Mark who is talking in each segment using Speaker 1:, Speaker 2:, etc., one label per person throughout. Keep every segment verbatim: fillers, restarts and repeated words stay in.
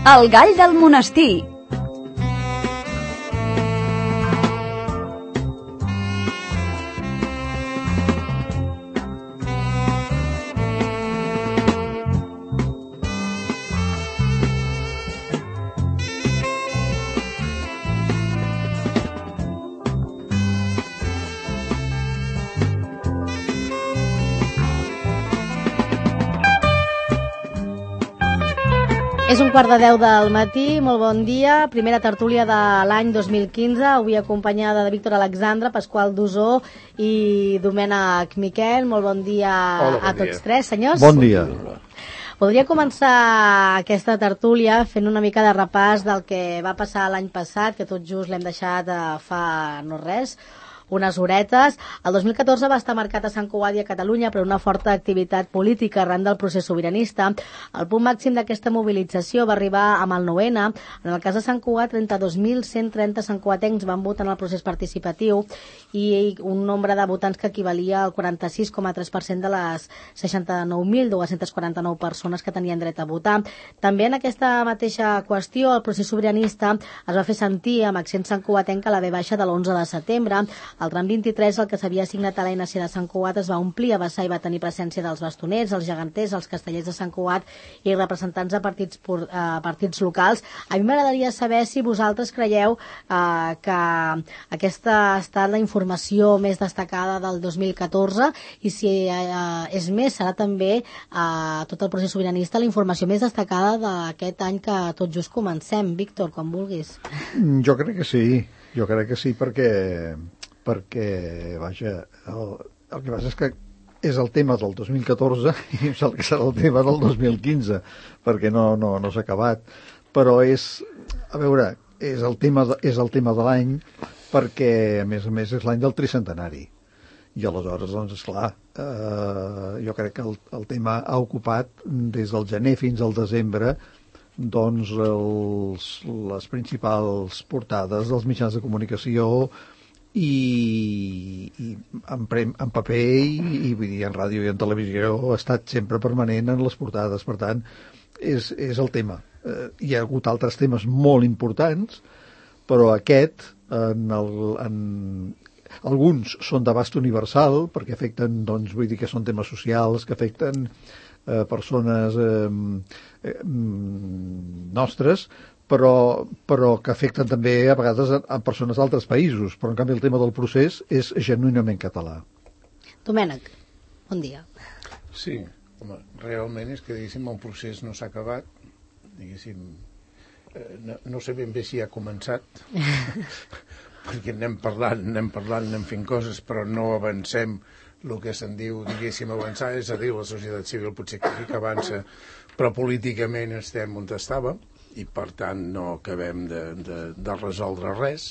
Speaker 1: El gall del monestir.
Speaker 2: És un quart de deu del matí, molt bon dia, primera tertúlia de l'any dos mil quinze, avui acompanyada de Víctor Alexandre, Pasqual Dusó i Domènec Miquel. Molt bon dia. Hola, bon a tots dia. Tres, senyors.
Speaker 3: Bon dia.
Speaker 2: Podria començar aquesta tertúlia fent una mica de repàs del que va passar l'any passat, que tot just l'hem deixat fa no res, unes horetes. El dos mil catorze va estar marcat a Sant Cugat i a Catalunya per una forta activitat política arran del procés sobiranista. El punt màxim d'aquesta mobilització va arribar amb el nou ene. En el cas de Sant Cugat, trenta-dos mil cent trenta santcugatencs van votar en el procés participatiu i un nombre de votants que equivalia al quaranta-sis coma tres per cent de les seixanta-nou mil dos-cents quaranta-nou persones que tenien dret a votar. També en aquesta mateixa qüestió, el procés sobiranista es va fer sentir amb accent santcugatenc a la ve baixa de l'onze de setembre. El tram vint-i-tres, el que s'havia assignat a l'A N C de Sant Cugat, es va omplir a vessar i va tenir presència dels bastoners, els geganters, els castellers de Sant Cugat i representants de partits, uh, partits locals. A mi m'agradaria saber si vosaltres creieu uh, que aquesta ha estat la informació més destacada del dos mil catorze i si uh, és més, serà també uh, tot el procés sobiranista la informació més destacada d'aquest any que tot just comencem. Víctor, com vulguis.
Speaker 3: Jo crec que sí, jo crec que sí perquè perquè, vaja, el, el que passa és que és el tema del dos mil catorze i em sembla que serà el tema del dos mil quinze, perquè no, no, no s'ha acabat, però és, a veure, és el tema de, és el tema de l'any perquè, a més a més, és l'any del tricentenari. I aleshores, doncs, esclar, eh, jo crec que el, el tema ha ocupat des del gener fins al desembre doncs els, les principals portades dels mitjans de comunicació i, i en, pre, en paper i, i, vull dir, en ràdio i en televisió ha estat sempre permanent en les portades. Per tant, és, és el tema. Eh, hi ha hagut altres temes molt importants, però aquest, en el, en, alguns són d'abast universal, perquè afecten, doncs, vull dir que són temes socials, que afecten eh, persones eh, eh, nostres, però, però que afecten també a vegades a, a persones d'altres països, però en canvi el tema del procés és genuïnament català.
Speaker 2: Domènec, bon dia.
Speaker 4: Sí, home, realment és que, diguéssim, el procés no s'ha acabat, diguéssim, eh, no, no sé ben bé si ha començat, perquè anem parlant, anem parlant, anem fent coses, però no avancem el que se'n diu, diguéssim, avançar, és a dir, la societat civil potser que, que avança, però políticament estem on estàvem, i per tant no acabem de, de, de resoldre res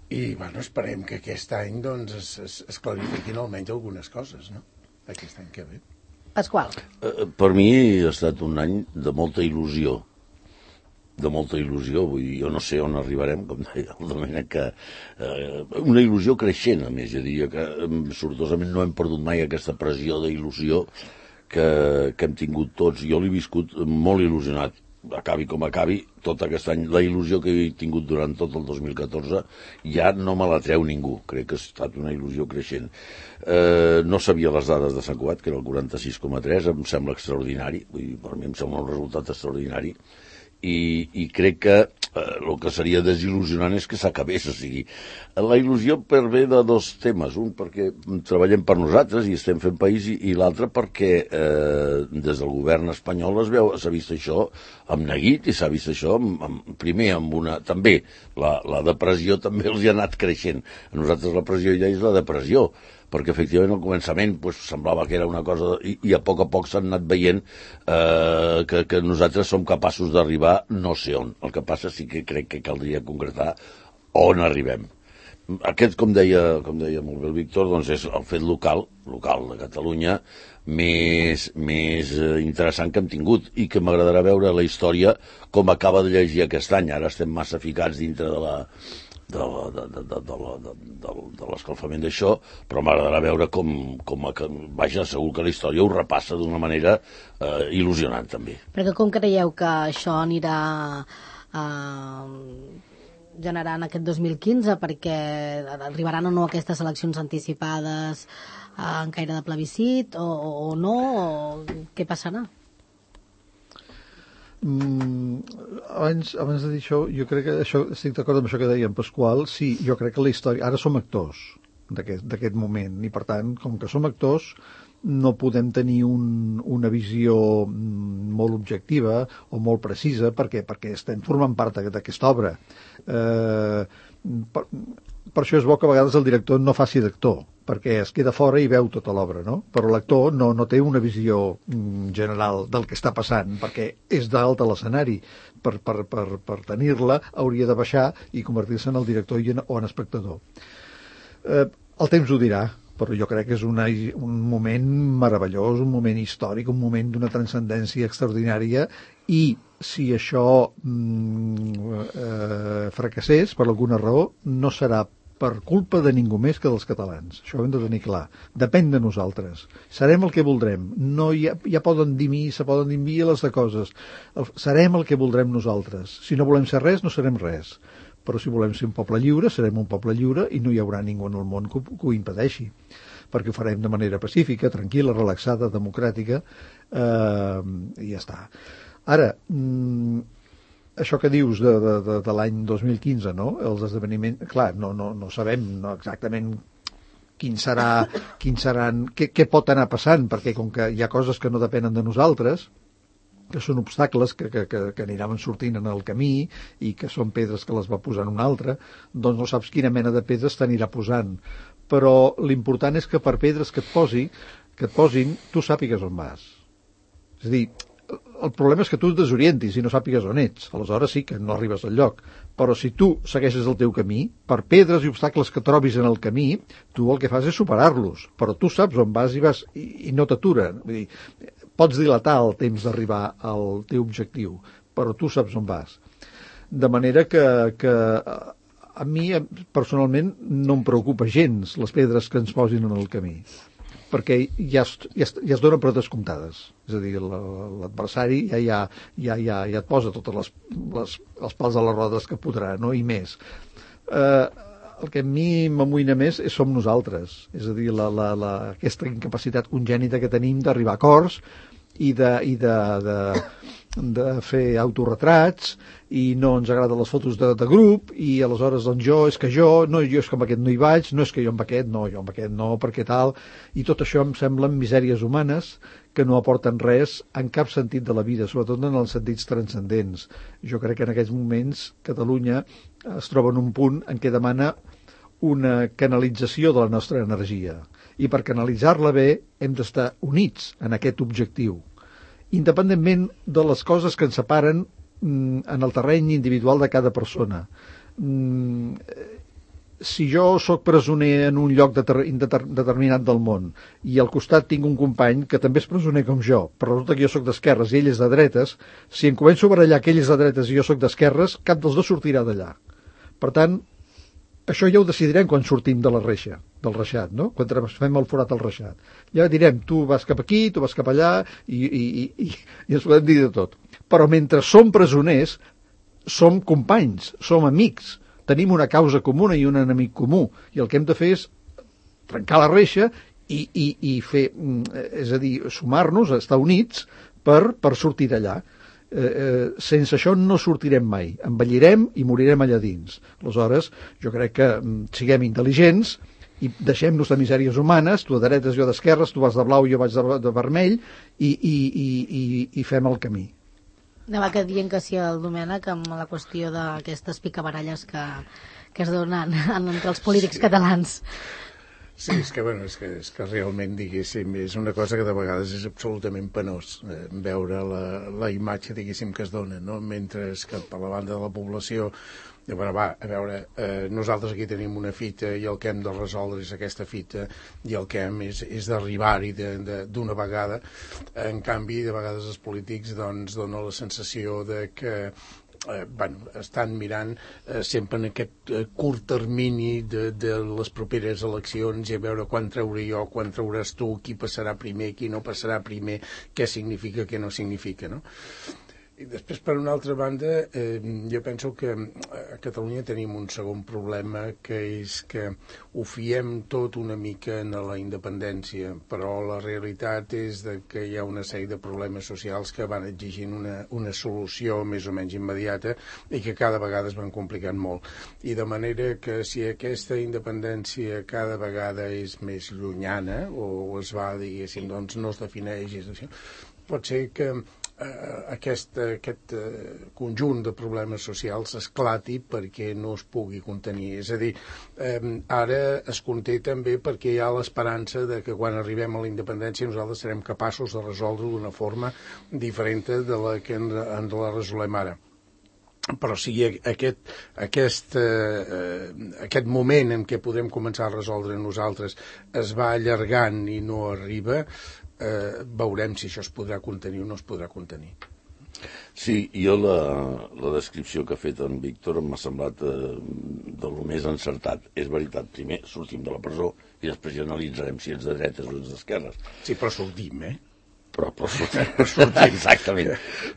Speaker 4: i bueno, esperem que aquest any doncs, es, es, es clarifiquin almenys algunes coses, no? Aquest any que ve.
Speaker 2: Pasqual.
Speaker 5: Uh, per mi ha estat un any de molta il·lusió, de molta il·lusió, vull dir, jo no sé on arribarem, com deia el Domènec, que eh, una il·lusió creixent, a més, jo diria que sortosament no hem perdut mai aquesta pressió d'il·lusió que, que hem tingut tots. Jo l'he viscut molt il·lusionat, acabi com acabi, tot aquest any. La il·lusió que he tingut durant tot el dos mil catorze ja no me la treu ningú, crec que ha estat una il·lusió creixent. Eh, no sabia les dades de Sant Cugat, que era el quaranta-sis coma tres, em sembla extraordinari, vull dir, per mi em sembla un resultat extraordinari, i, i crec que eh, el que seria desil·lusionant és que s'acabés, o sigui, la il·lusió per ve de dos temes, un perquè treballem per nosaltres i estem fent país, i, i l'altre perquè eh, des del govern espanyol es veu, s'ha vist això amb neguit, i s'ha vist això amb, amb, primer amb una, també la, la depressió també els hi ha anat creixent. A nosaltres la pressió ja és la depressió, perquè efectivament al començament pues, semblava que era una cosa, i, i a poc a poc s'han anat veient eh, que, que nosaltres som capaços d'arribar no sé on. El que passa sí que crec que caldria concretar on arribem. Aquest, com deia, com deia molt bé el Víctor, doncs és el fet local, local de Catalunya, més, més interessant que hem tingut, i que m'agradarà veure la història com acaba de llegir aquest any. Ara estem massa ficats dintre de la de, de, de, de, de, de, de, de l'escalfament d'això, però m'agradarà veure com, com a, vaja, segur que la història ho repassa d'una manera eh, il·lusionant també.
Speaker 2: Perquè com creieu que això anirà eh, generant aquest dos mil quinze, perquè arribaran o no aquestes eleccions anticipades eh, en caire de plebiscit o, o no, o què passarà?
Speaker 3: Mm, abans, abans de dir això, jo crec que això, estic d'acord amb això que deia en Pasqual. Sí, jo crec que la història, ara som actors d'aquest moment, i per tant, com que som actors, no podem tenir un, una visió molt objectiva o molt precisa, perquè perquè estem formant part d'aquesta obra. Eh, per, per això és bo que a vegades el director no faci d'actor, perquè es queda fora i veu tota l'obra, no? Però l'actor no, no té una visió general del que està passant, perquè és dalt a l'escenari. Per, per, per, per tenir-la hauria de baixar i convertir-se en el director i en, o en espectador. Eh, el temps ho dirà, però jo crec que és una, un moment meravellós, un moment històric, un moment d'una transcendència extraordinària, i si això mm, eh, fracassés per alguna raó, no serà per culpa de ningú més que dels catalans. Això ho hem de tenir clar. Depèn de nosaltres. Serem el que voldrem. No hi ha, ja poden dir mi, se poden dir miles de coses. El, serem el que voldrem nosaltres. Si no volem ser res, no serem res. Però si volem ser un poble lliure, serem un poble lliure i no hi haurà ningú en el món que, que ho impedeixi. Perquè ho farem de manera pacífica, tranquil·la, relaxada, democràtica, eh, i ja està. Ara, mm, això que dius de, de, de, de l'any dos mil quinze, no? Els esdeveniments, clar, no, no, no sabem no exactament quin serà, quin seran, què, què pot anar passant, perquè com que hi ha coses que no depenen de nosaltres, que són obstacles que, que, que, que aniran sortint en el camí i que són pedres que les va posant un altre, doncs no saps quina mena de pedres t'anirà posant. Però l'important és que per pedres que et posi, que et posin, tu sàpigues on vas. És a dir, el problema és que tu et desorientis i no sàpigues on ets. Aleshores sí que no arribes al lloc. Però si tu segueixes el teu camí, per pedres i obstacles que trobis en el camí, tu el que fas és superar-los. Però tu saps on vas i vas i, i no t'aturen. Vull dir, pots dilatar el temps d'arribar al teu objectiu, però tu saps on vas. De manera que, que a mi personalment no em preocupa gens les pedres que ens posin en el camí, perquè ja es, ja es, ja es donen per descomptades. És a dir, l'adversari ja, ja, ja, ja, ja et posa totes les, les, els pals a les rodes que podrà, no? I més. Eh, el que a mi m'amoïna més és som nosaltres. És a dir, la, la, la, aquesta incapacitat congènita que tenim d'arribar a acords i de, i de, de, de fer autorretrats, i no ens agraden les fotos de, de grup, i aleshores doncs jo, és que jo, no, jo és que amb aquest no hi vaig, no és que jo amb aquest, no, jo amb aquest no, perquè tal, i tot això em semblen misèries humanes que no aporten res en cap sentit de la vida, sobretot en els sentits transcendents. Jo crec que en aquests moments Catalunya es troba en un punt en què demana una canalització de la nostra energia, i per canalitzar-la bé hem d'estar units en aquest objectiu, independentment de les coses que ens separen mm, en el terreny individual de cada persona. Mm, si jo sóc presoner en un lloc deter determinat del món i al costat tinc un company que també és presoner com jo, però resulta que jo sóc d'esquerres i ell és de dretes, si em començo a barallar que ell és de dretes i jo sóc d'esquerres, cap dels dos sortirà d'allà. Per tant, això ja ho decidirem quan sortim de la reixa, del reixat, no? Quan fem el forat al reixat. Ja direm, tu vas cap aquí, tu vas cap allà, i, i, i, i ens podem dir de tot. Però mentre som presoners, som companys, som amics, tenim una causa comuna i un enemic comú, i el que hem de fer és trencar la reixa i, i, i fer, és a dir, sumar-nos, estar units per, per sortir d'allà. Eh, eh, sense això no sortirem mai, envellirem i morirem allà dins. Aleshores, jo crec que mm, siguem intel·ligents i deixem-nos de misèries humanes, tu de dretes, jo d'esquerres, tu vas de blau, jo vaig de, de vermell, i, i, i, i, i fem el camí.
Speaker 2: Anava que dient que sí al Domènec amb la qüestió d'aquestes picabaralles que, que es donen entre els polítics sí. catalans.
Speaker 4: Sí, és que, bueno, és que, és que realment, diguéssim, és una cosa que de vegades és absolutament penós eh, veure la, la imatge, diguéssim, que es dona, no? Mentre que per la banda de la població, eh, bueno, va, a veure, eh, nosaltres aquí tenim una fita i el que hem de resoldre és aquesta fita i el que hem és, és d'arribar-hi d'una vegada. En canvi, de vegades els polítics doncs donen la sensació de que eh, bueno, estan mirant eh, sempre en aquest eh, curt termini de, de les properes eleccions i a veure quan trauré jo, quan trauràs tu, qui passarà primer, qui no passarà primer, què significa, què no significa, no? I després, per una altra banda, eh, jo penso que a Catalunya tenim un segon problema, que és que ho fiem tot una mica en la independència, però la realitat és de que hi ha una sèrie de problemes socials que van exigint una, una solució més o menys immediata i que cada vegada es van complicant molt. I de manera que si aquesta independència cada vegada és més llunyana o es va, diguéssim, doncs no es defineix, pot ser que Aquest, aquest conjunt de problemes socials esclati perquè no es pugui contenir. És a dir, eh, ara es conté també perquè hi ha l'esperança de que quan arribem a la independència nosaltres serem capaços de resoldre d'una forma diferent de la que en, en la resolem ara. Però si aquest, aquest, eh, aquest moment en què podem començar a resoldre nosaltres es va allargant i no arriba, eh, veurem si això es podrà contenir o no es podrà contenir.
Speaker 5: Sí, jo la, la descripció que ha fet en Víctor m'ha semblat eh, de lo més encertat. És veritat, primer sortim de la presó i després ja analitzarem si ets de dretes o ets d'esquerres.
Speaker 4: Sí, però sortim, eh?
Speaker 5: Però, però sortim, però sortim, exactament.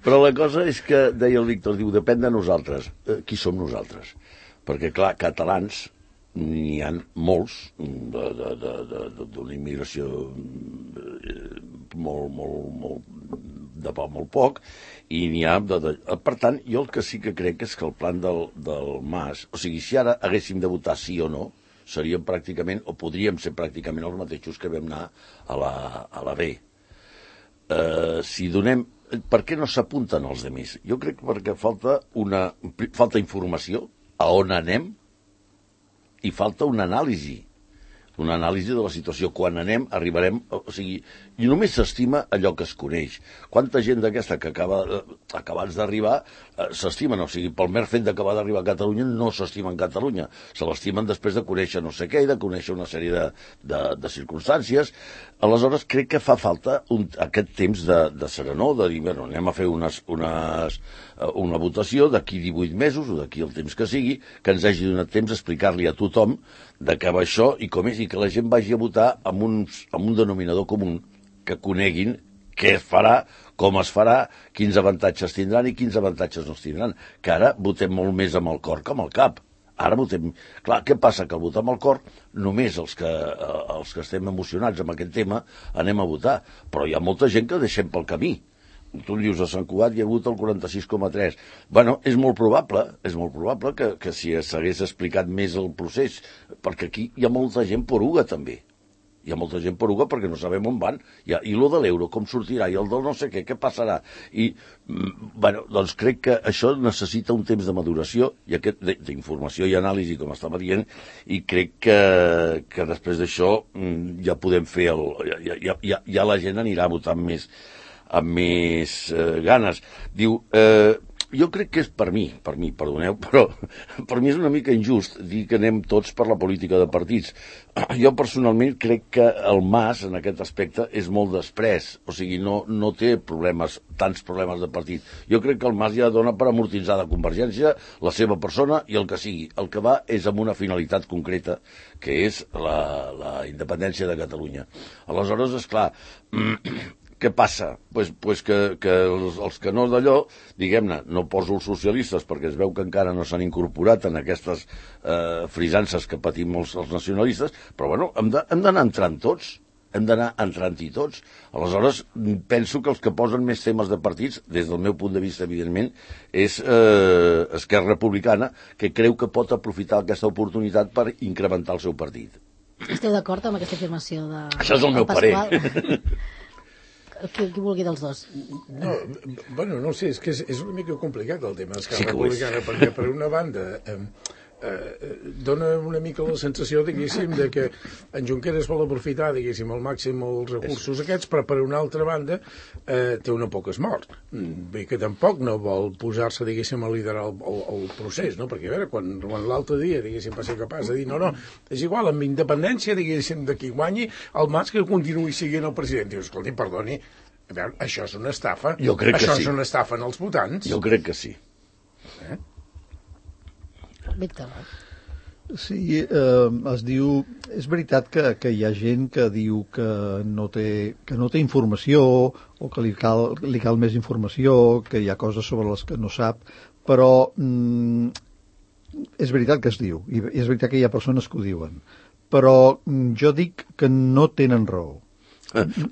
Speaker 5: Però la cosa és que, deia el Víctor, diu, depèn de nosaltres. Eh, qui som nosaltres? Perquè, clar, catalans n'hi ha molts d'una immigració molt, molt, molt, de poc, molt poc, i n'hi ha... De, de, per tant, jo el que sí que crec és que el plan del, del Mas, o sigui, si ara haguéssim de votar sí o no, seríem pràcticament, o podríem ser pràcticament els mateixos que vam anar a la, a la B. Uh, si donem... Per què no s'apunten els altres? Jo crec que perquè falta una falta informació a on anem i falta una anàlisi una anàlisi de la situació. Quan anem, arribarem... O sigui, i només s'estima allò que es coneix. Quanta gent d'aquesta que acaba, acabats d'arribar eh, s'estimen, o sigui, pel mer fet d'acabar d'arribar a Catalunya no s'estimen Catalunya, se l'estimen després de conèixer no sé què i de conèixer una sèrie de, de, de circumstàncies. Aleshores, crec que fa falta un, aquest temps de, de serenor, de dir, bueno, anem a fer unes, unes, una votació d'aquí divuit mesos o d'aquí el temps que sigui, que ens hagi donat temps a explicar-li a tothom de què va això i com és, i que la gent vagi a votar amb, uns, amb un denominador comú, que coneguin què es farà, com es farà, quins avantatges tindran i quins avantatges no es tindran. Que ara votem molt més amb el cor que amb el cap. Ara votem... Clar, què passa? Que al votar amb el cor, només els que, eh, els que estem emocionats amb aquest tema anem a votar. Però hi ha molta gent que deixem pel camí. Tu dius, a Sant Cugat hi ha hagut el quaranta-sis coma tres. Bueno, és molt probable, és molt probable que, que si s'hagués explicat més el procés, perquè aquí hi ha molta gent poruga també. Hi ha molta gent poruga perquè no sabem on van. I, i lo de l'euro, com sortirà, i el del no sé què, què passarà. I, bueno, doncs crec que això necessita un temps de maduració i aquest d'informació i anàlisi, com estava dient, i crec que, que després d'això ja podem fer el... Ja, ja, ja, ja la gent anirà a votar amb més, amb més eh, ganes. Diu... Eh, jo crec que és per mi, per mi, perdoneu, però per mi és una mica injust dir que anem tots per la política de partits. Jo personalment crec que el Mas, en aquest aspecte, és molt després, o sigui, no, no té problemes, tants problemes de partit. Jo crec que el Mas ja dona per amortitzar de Convergència la seva persona i el que sigui. El que va és amb una finalitat concreta, que és la, la independència de Catalunya. Aleshores, esclar... Què passa? Pues, pues que, que els, els que no d'allò, diguem-ne, no poso els socialistes perquè es veu que encara no s'han incorporat en aquestes eh, frisances que patim els, els nacionalistes, però bueno, hem d'anar entrant tots, hem d'anar entrant-hi tots. Aleshores, penso que els que posen més temes de partits, des del meu punt de vista, evidentment, és eh, Esquerra Republicana, que creu que pot aprofitar aquesta oportunitat per incrementar el seu partit.
Speaker 2: Esteu d'acord amb aquesta afirmació de...
Speaker 5: Això és el meu parer.
Speaker 2: Qui, qui vulgui dels dos.
Speaker 4: No, bueno, no sé, és que és, és una mica complicat el tema d'Esquerra
Speaker 5: sí
Speaker 4: Republicana, perquè per una banda eh, eh, dona una mica la sensació, diguéssim, de que en Junqueras vol aprofitar, diguéssim, al màxim els recursos aquests, però per una altra banda eh, té una poca esmort. Bé que tampoc no vol posar-se, diguéssim, a liderar el, el, el procés, no? Perquè, a veure, quan, quan l'altre dia, diguéssim, va ser capaç de dir, no, no, és igual, amb independència, diguéssim, de qui guanyi, el Mas que continuï siguent el president. Dius, escolti, perdoni, a veure, això és una estafa.
Speaker 5: Jo crec que
Speaker 4: això
Speaker 5: sí.
Speaker 4: és una estafa en els votants.
Speaker 5: Jo crec que sí.
Speaker 4: Eh?
Speaker 2: Víctor.
Speaker 3: Sí, eh, es diu... És veritat que, que hi ha gent que diu que no té, que no té informació o que li cal, li cal més informació, que hi ha coses sobre les que no sap, però mm, és veritat que es diu, i és veritat que hi ha persones que ho diuen, però mm, jo dic que no tenen raó.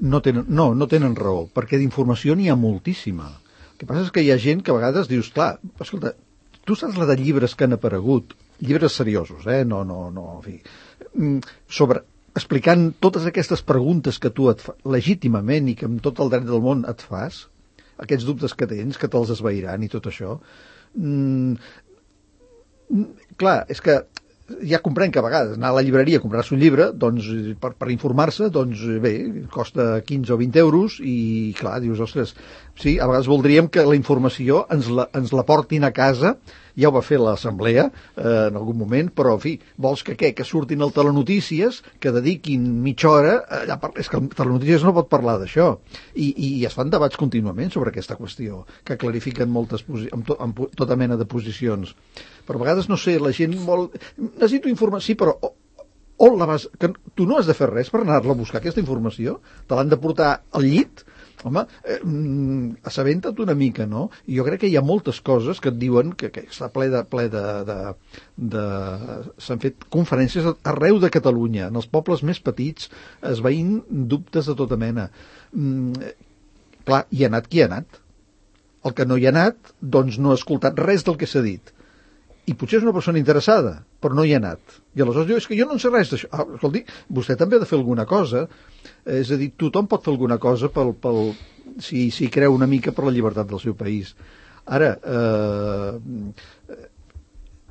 Speaker 3: No tenen, no, no tenen raó, perquè d'informació n'hi ha moltíssima. El que passa és que hi ha gent que a vegades dius, clar, escolta, tu saps la de llibres que han aparegut, llibres seriosos, eh? No, no, no, en fi, sobre, explicant totes aquestes preguntes que tu et fa, legítimament i que amb tot el dret del món et fas, aquests dubtes que tens, que te'ls esvairan i tot això, mm, clar, és que ja comprenc que a vegades anar a la llibreria a comprar-se un llibre, doncs, per, per informar-se, doncs bé, costa quinze o vint euros i clar, dius, ostres, sí, a vegades voldríem que la informació ens la, ens la portin a casa, ja ho va fer l'assemblea eh, en algun moment, però en fi, vols que què? Que surtin al Telenotícies, que dediquin mitja hora, allà per... és que el Telenotícies no pot parlar d'això, I, i es fan debats contínuament sobre aquesta qüestió, que clarifiquen moltes posi... amb, to... amb tota mena de posicions. Però a vegades, no sé, la gent vol... Necessito informació, sí, però on la vas... Que tu no has de fer res per anar-la a buscar, aquesta informació? Te l'han de portar al llit? Home, eh, assabenta't una mica, no? I jo crec que hi ha moltes coses que et diuen que, que està ple de... Ple de, de, de s'han fet conferències arreu de Catalunya, en els pobles més petits, esvaint dubtes de tota mena. Mm, clar, hi ha anat qui ha anat. El que no hi ha anat, doncs no ha escoltat res del que s'ha dit. I potser és una persona interessada, però no hi ha anat. I aleshores diu, és que jo no en sé res d'això. Ah, escolti, vostè també ha de fer alguna cosa. És a dir, tothom pot fer alguna cosa pel, pel, si, si creu una mica per la llibertat del seu país. Ara, eh,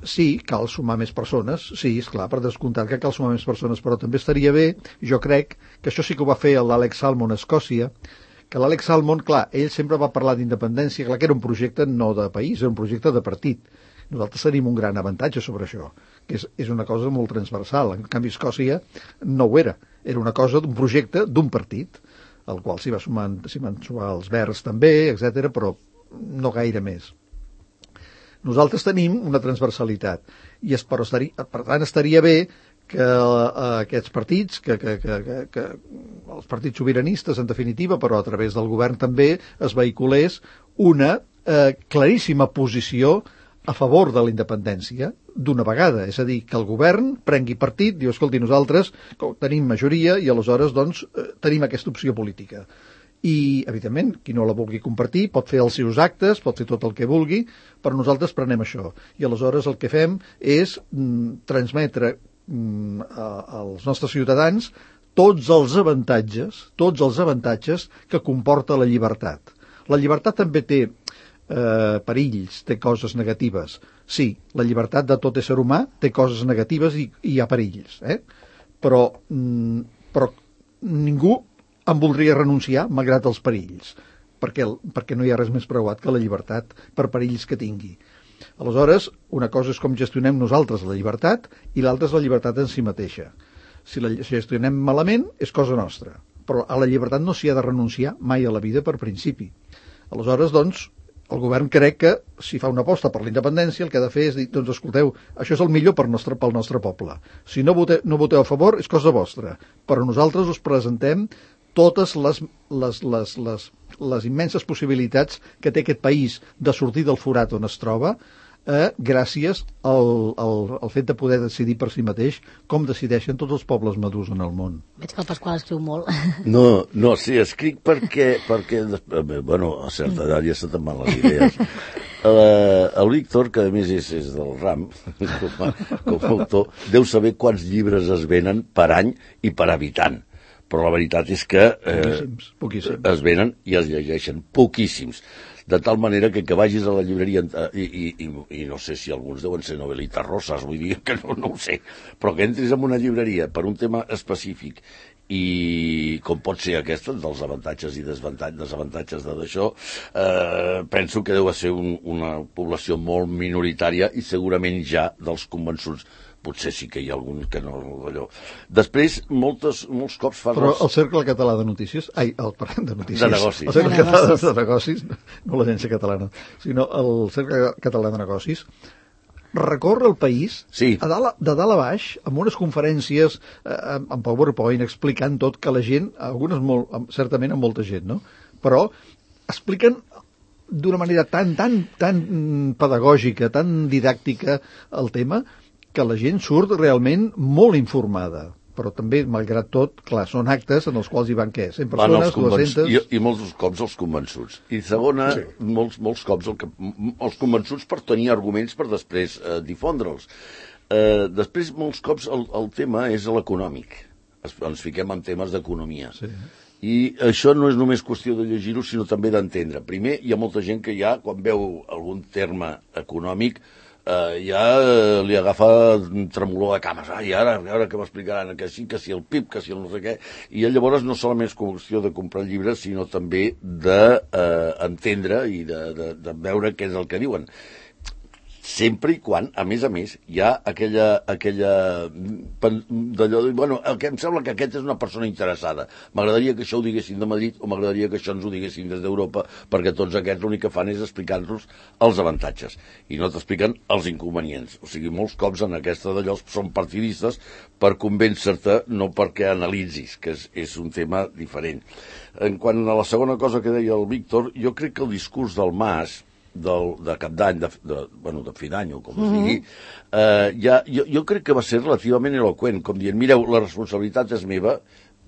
Speaker 3: sí, cal sumar més persones, sí, esclar, per descomptat que cal sumar més persones, però també estaria bé, jo crec que això sí que ho va fer l'Alex Salmond a Escòcia, que l'Alex Salmond, clar, ell sempre va parlar d'independència, clar que era un projecte no de país, era un projecte de partit. Nosaltres tenim un gran avantatge sobre això, que és, és una cosa molt transversal. En canvi, Escòcia no ho era. Era una cosa d'un projecte d'un partit, al qual s'hi va sumar, s'hi van sumar els Verds també, etcètera, però no gaire més. Nosaltres tenim una transversalitat, i es, però estaria, per tant estaria bé que eh, aquests partits, que, que, que, que, que els partits sobiranistes, en definitiva, però a través del govern també, es vehiculés una eh, claríssima posició a favor de la independència d'una vegada, és a dir, que el govern prengui partit, diu, escolti, nosaltres tenim majoria i aleshores doncs tenim aquesta opció política. I, evidentment, qui no la vulgui compartir pot fer els seus actes, pot fer tot el que vulgui, però nosaltres prenem això. I aleshores el que fem és mm, transmetre mm, a, als nostres ciutadans tots els avantatges, tots els avantatges que comporta la llibertat. La llibertat també té Eh, perills, té coses negatives. Sí, la llibertat de tot ésser humà té coses negatives i, i hi ha perills, eh? però, mm, però ningú en voldria renunciar malgrat els perills, perquè, perquè no hi ha res més preuat que la llibertat per perills que tingui. Aleshores, una cosa és com gestionem nosaltres la llibertat i l'altra és la llibertat en si mateixa. Si la si gestionem malament és cosa nostra, però a la llibertat no s'hi ha de renunciar mai a la vida per principi. Aleshores, doncs, el govern crec que, si fa una aposta per la independència, el que ha de fer és dir, doncs escolteu, això és el millor per nostre, pel nostre poble. Si no voteu, no voteu a favor, és cosa vostra. Però nosaltres us presentem totes les, les, les, les, les immenses possibilitats que té aquest país de sortir del forat on es troba, eh, gràcies al, al, al fet de poder decidir per si mateix com decideixen tots els pobles madurs en el món.
Speaker 2: Veig que el Pasqual escriu molt.
Speaker 5: No, no, sí, escric perquè, perquè bueno, a certa edat ja se te'n van les idees. Uh, el Víctor, que a més és, és del ram, com a, com a autor, deu saber quants llibres es venen per any i per habitant. Però la veritat és que eh,
Speaker 3: poquíssims, poquíssims.
Speaker 5: Es venen i es llegeixen poquíssims. De tal manera que que vagis a la llibreria i, i, i, i no sé si alguns deuen ser novelitas rosas, vull dir que no, no ho sé, però que entris en una llibreria per un tema específic i com pot ser aquesta dels avantatges i desavantatges d'això, eh, penso que deu ser un, una població molt minoritària i segurament ja dels convençuts, potser sí que hi ha algun que no d'allò. Després, moltes, molts cops fa...
Speaker 3: Però el Cercle Català de Notícies, ai, el, de notícies,
Speaker 5: de negocis.
Speaker 3: El Cercle
Speaker 2: de
Speaker 3: Català
Speaker 2: negocis.
Speaker 3: de Negocis, no l'Agència Catalana, sinó el Cercle Català de Negocis, recorre el país
Speaker 5: sí.
Speaker 3: a dalt, de dalt a baix, amb unes conferències, eh, amb PowerPoint, explicant tot, que la gent, algunes molt, certament amb molta gent, no? Però expliquen d'una manera tan, tan, tan pedagògica, tan didàctica el tema, que la gent surt realment molt informada. Però també, malgrat tot, clar, són actes en els quals hi van, què? cent persones, dues-centes...
Speaker 5: I, I molts cops els convençuts. I segona, sí. molts, molts cops el que, els convençuts per tenir arguments per després eh, difondre'ls. Eh, després, molts cops, el, el tema és l'econòmic. Es, ens fiquem en temes d'economia. Sí. I això no és només qüestió de llegir-ho, sinó també d'entendre. Primer, hi ha molta gent que ja, quan veu algun terme econòmic, Uh, ja uh, li agafa tremolor de cames. Ah, i ara, ara que m'explicaran que sí, que si el P I B, que si el no sé què. I llavors no solament és qüestió de comprar llibres, sinó també d'entendre uh, i de, de, de veure què és el que diuen. Sempre i quan, a més a més, hi ha aquella, aquella d'allò de, bueno, que em sembla que aquest és una persona interessada. M'agradaria que això ho diguessin de Madrid o m'agradaria que això ens ho diguessin des d'Europa, perquè tots aquests l'únic que fan és explicar-nos els avantatges i no t'expliquen els inconvenients. O sigui, molts cops en aquesta d'allò són partidistes per convèncer-te, no perquè analitzis, que és, és un tema diferent. En quant a la segona cosa que deia el Víctor, jo crec que el discurs del Mas, del, de cap d'any, de, de, bueno, de fi d'any, o com es digui, eh, ja, jo, jo crec que va ser relativament eloqüent, com dient, mireu, la responsabilitat és meva,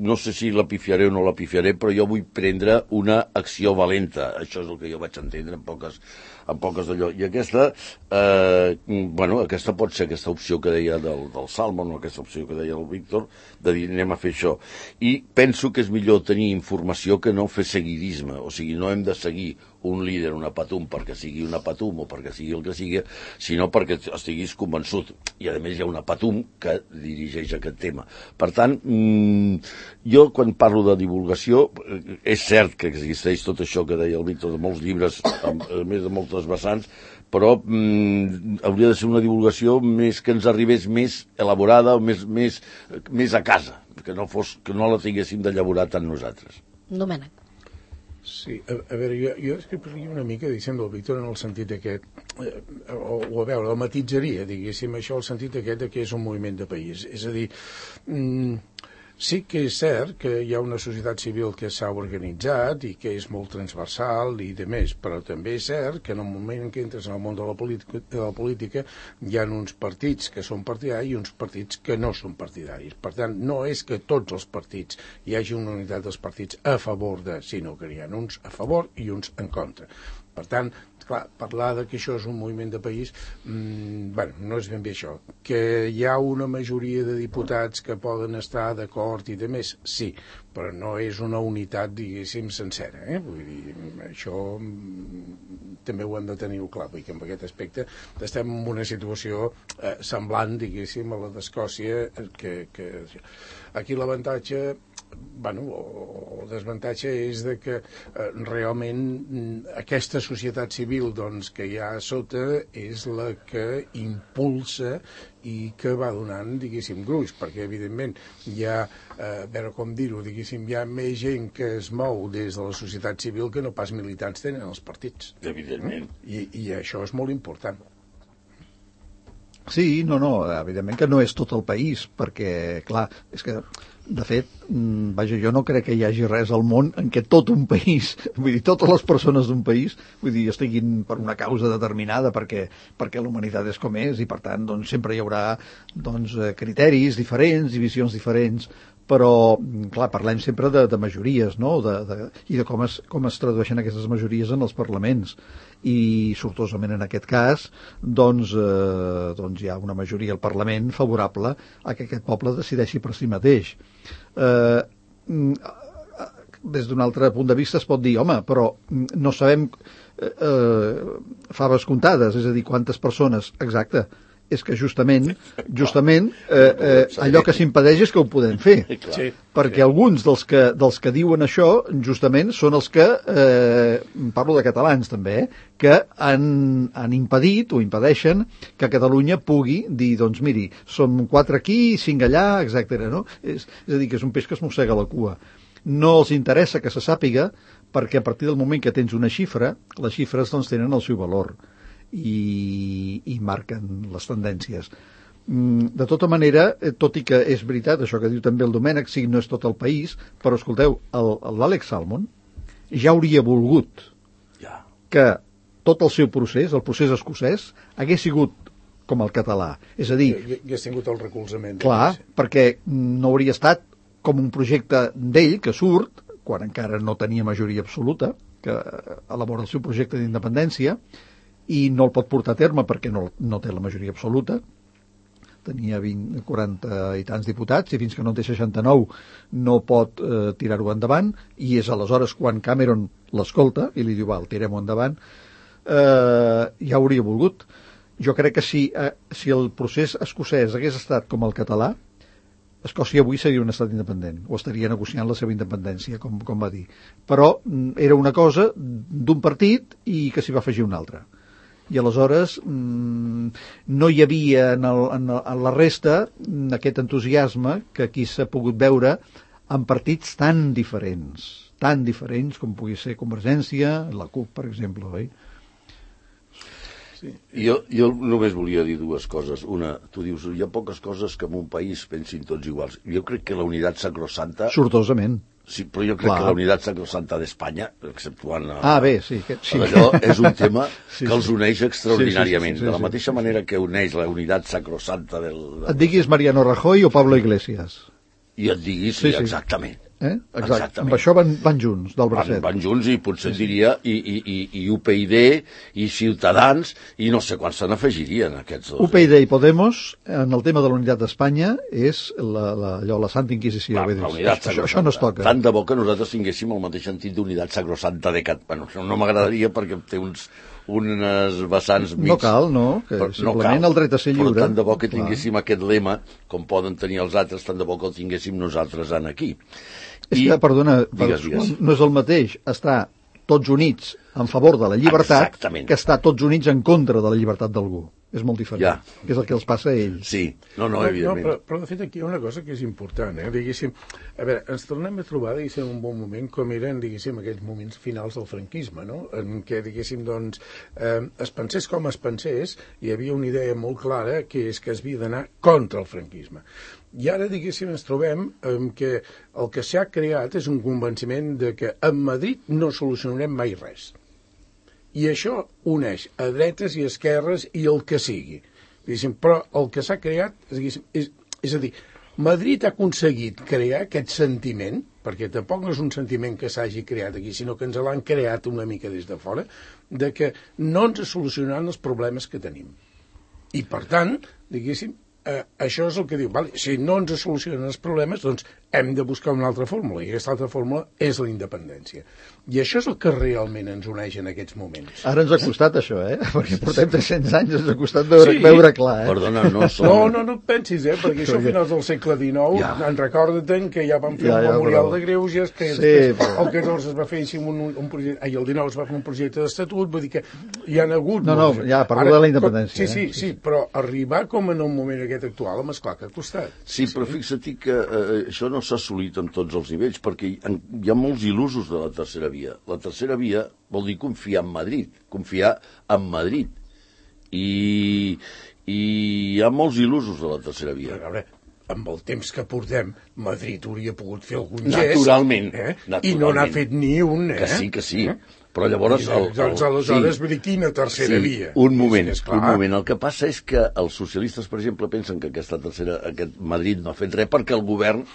Speaker 5: no sé si la pifiaré o no la pifiaré, però jo vull prendre una acció valenta. Això és el que jo vaig entendre en poques, en poques d'allò. I aquesta, eh, bueno, aquesta pot ser aquesta opció que deia del, del Salmon, o aquesta opció que deia el Víctor, de dir anem a fer això. I penso que és millor tenir informació que no fer seguidisme, o sigui, no hem de seguir un líder, una patum, perquè sigui una patum o perquè sigui el que sigui, sinó perquè estiguis convençut. I, a més, hi ha una patum que dirigeix aquest tema. Per tant, mmm, jo, quan parlo de divulgació, és cert que existeix tot això que deia el Víctor, de molts llibres, a més de moltes vessants, però mmm, hauria de ser una divulgació més que ens arribés més elaborada o més, més, més a casa, que no, fos, que no la tinguéssim de llaborar tant nosaltres.
Speaker 2: Domènec.
Speaker 4: Sí, a, a veure, jo, jo escriuria una mica, diguéssim, del Víctor en el sentit aquest, eh, o, o a veure, el matitzaria, diguéssim, això, el sentit aquest de que és un moviment de país. És a dir, mm, sí que és cert que hi ha una societat civil que s'ha organitzat i que és molt transversal i de més, però també és cert que en el moment en què entres en el món de la política, de la política hi ha uns partits que són partidaris i uns partits que no són partidaris. Per tant, no és que tots els partits hi hagi una unitat dels partits a favor de, sinó que hi ha uns a favor i uns en contra. Per tant, clar, parlar de que això és un moviment de país, mmm, bueno, no és ben bé això. Que hi ha una majoria de diputats que poden estar d'acord i de més, sí, però no és una unitat, diguéssim, sencera. Eh? Vull dir, això mm, també ho hem de tenir clar, perquè en aquest aspecte estem en una situació eh, semblant, diguéssim, a la d'Escòcia, que, que aquí l'avantatge, bueno, o el desavantatge és de que eh, realment aquesta societat civil doncs, que hi ha a sota és la que impulsa i que va donant, diguéssim, gruix, perquè evidentment hi ha, eh, a veure com dir-ho, diguéssim, hi ha més gent que es mou des de la societat civil que no pas militants tenen els partits.
Speaker 5: Evidentment.
Speaker 4: I, i això és molt important.
Speaker 3: Sí, no, no, evidentment que no és tot el país, perquè, clar, és que, de fet, vaja, jo no crec que hi hagi res al món en què tot un país, vull dir, totes les persones d'un país, vull dir, estiguin per una causa determinada, perquè, perquè la humanitat és com és, i per tant, doncs, sempre hi haurà, doncs, criteris diferents i visions diferents, però, clar, parlem sempre de, de majories, no?, de, de, i de com es, com es tradueixen aquestes majories en els parlaments. I, sortosament en aquest cas, doncs, eh, doncs hi ha una majoria al Parlament favorable a que aquest poble decideixi per si mateix. Eh, des d'un altre punt de vista es pot dir, home, però no sabem eh, faves comptades, és a dir, quantes persones, exacte, és que justament, justament eh, eh, allò que s'impedeix és que ho podem fer.
Speaker 4: Sí.
Speaker 3: Perquè alguns dels que, dels que diuen això, justament, són els que, eh, parlo de catalans també, eh, que han, han impedit o impedeixen que Catalunya pugui dir, doncs miri, som quatre aquí, cinc allà, etcètera. No? És, és a dir, que és un peix que es mossega la cua. No els interessa que se sàpiga, perquè a partir del moment que tens una xifra, les xifres doncs tenen el seu valor. I, i marquen les tendències. De tota manera, tot i que és veritat, això que diu també el Domènec, sí, no és tot el país, però escolteu, l'Àlex Salmond ja hauria volgut
Speaker 5: ja.
Speaker 3: que tot el seu procés, el procés escocès, hagués sigut com el català. És a dir...
Speaker 4: Hagués tingut el recolzament.
Speaker 3: Clar, perquè no hauria estat com un projecte d'ell que surt, quan encara no tenia majoria absoluta, que elabora el seu projecte d'independència, i no el pot portar a terme perquè no, no té la majoria absoluta, tenia vint, quaranta i tants diputats, i fins que no en té seixanta-nou no pot eh, tirar-ho endavant, i és aleshores quan Cameron l'escolta i li diu, val, tirem-ho endavant, eh, ja hauria volgut. Jo crec que si, eh, si el procés escocès hagués estat com el català, Escòcia avui seria un estat independent, o estaria negociant la seva independència, com, com va dir. Però era una cosa d'un partit i que s'hi va afegir un altre. I aleshores mmm, no hi havia en, el, en, el, en la resta aquest entusiasme que aquí s'ha pogut veure en partits tan diferents, tan diferents com pugui ser Convergència, la CUP, per exemple, oi?
Speaker 5: Sí. Jo, jo només volia dir dues coses. Una, tu dius, hi ha poques coses que en un país pensin tots iguals. Jo crec que la unitat sacrosanta...
Speaker 3: Sortosament.
Speaker 5: Sí, però jo crec Clar. que la unitat sacrosanta d'Espanya, exceptuant...
Speaker 3: Ah, bé, sí. Que, sí.
Speaker 5: Allò és un tema
Speaker 3: sí,
Speaker 5: que els uneix extraordinàriament.
Speaker 3: Sí, sí, sí, sí, sí,
Speaker 5: de la mateixa
Speaker 3: sí,
Speaker 5: manera que uneix la unitat sacrosanta del...
Speaker 3: Et diguis Mariano Rajoy o Pablo Iglesias.
Speaker 5: I et diguis,
Speaker 3: sí,
Speaker 5: sí,
Speaker 3: sí.
Speaker 5: exactament.
Speaker 3: Eh? Exacte. Amb això van, van junts, del bracet.
Speaker 5: Van, van junts i potser sí, sí. diria i, i, i, i U P y D i Ciutadans i no sé quants se n'afegirien aquests dos.
Speaker 3: U P y D i Podemos en el tema de la unitat d'Espanya és la, la, allò, la Santa Inquisició.
Speaker 5: La, la unitat
Speaker 3: això, això no es toca.
Speaker 5: Tant de bo que nosaltres tinguéssim el mateix sentit d'unitat sacrosanta de Cat... Bueno, no m'agradaria perquè té uns unes vessants mig...
Speaker 3: No cal, no, que però, simplement no cal, el dret a ser lliure.
Speaker 5: Però tant de bo que tinguéssim Clar. aquest lema, com poden tenir els altres, tant de bo que el tinguéssim nosaltres en aquí.
Speaker 3: És I, que, perdona,
Speaker 5: digues, digues.
Speaker 3: no és el mateix estar tots units en favor de la llibertat
Speaker 5: Exactament.
Speaker 3: que estar tots units en contra de la llibertat d'algú. És molt diferent.
Speaker 5: Ja.
Speaker 3: És el que els passa a ells.
Speaker 5: Sí, no, no, evidentment.
Speaker 4: No, però, però de fet aquí hi ha una cosa que és important, eh? Diguéssim, a veure, ens tornem a trobar, diguéssim, un bon moment com eren, diguéssim, aquells moments finals del franquisme, no? En què, diguéssim, doncs, eh, es pensés com es pensés, hi havia una idea molt clara que és que es havia d'anar contra el franquisme. I ara, diguéssim, ens trobem en que el que s'ha creat és un convenciment de que a Madrid no solucionarem mai res. I això uneix a dretes i esquerres i el que sigui. Diguéssim, però el que s'ha creat, diguéssim, és, és a dir, Madrid ha aconseguit crear aquest sentiment, perquè tampoc no és un sentiment que s'hagi creat aquí, sinó que ens l'han creat una mica des de fora, de que no ens solucionaran els problemes que tenim. I, per tant, diguéssim, eh, això és el que diu, vale, si no ens solucionen els problemes, doncs hem de buscar una altra fórmula, i aquesta altra fórmula és la independència. I això és el que realment ens uneix en aquests moments.
Speaker 3: Ara ens ha costat això, eh? Perquè portem tres-cents anys, ens ha costat veure, sí. veure clar, eh?
Speaker 5: Perdona, no som...
Speaker 4: No, no, no et pensis, eh? Perquè això a finals del segle dinou, ja. en recorda-te'n que ja van fer ja, un ja, memorial però... de greuges, que sí, però... el catorze es va fer un, un projecte, ai, el dinou es va fer un projecte d'estatut, vull dir que hi ha hagut...
Speaker 3: No, no, ja, parlo Ara, de la independència.
Speaker 4: Sí, sí, eh? sí, però arribar com en el moment aquest actual, home, esclar que ha costat.
Speaker 5: Sí, però sí. fixa't que eh, això no s'ha assolit en tots els nivells, perquè hi, en, hi ha molts il·lusos de la tercera via. La tercera via vol dir confiar en Madrid, confiar en Madrid. I, i hi ha molts il·lusos de la tercera via.
Speaker 4: A veure, amb el temps que portem, Madrid hauria pogut fer algun
Speaker 5: gest. Naturalment.
Speaker 4: Eh?
Speaker 5: naturalment.
Speaker 4: I no n'ha fet ni un, eh?
Speaker 5: Que sí, que sí. Eh? Però llavors... El, el,
Speaker 4: doncs aleshores,
Speaker 5: sí,
Speaker 4: vull dir, quina tercera
Speaker 5: sí,
Speaker 4: via?
Speaker 5: Un moment, sí, un moment. El que passa és que els socialistes, per exemple, pensen que aquesta tercera, aquest Madrid no ha fet res perquè el govern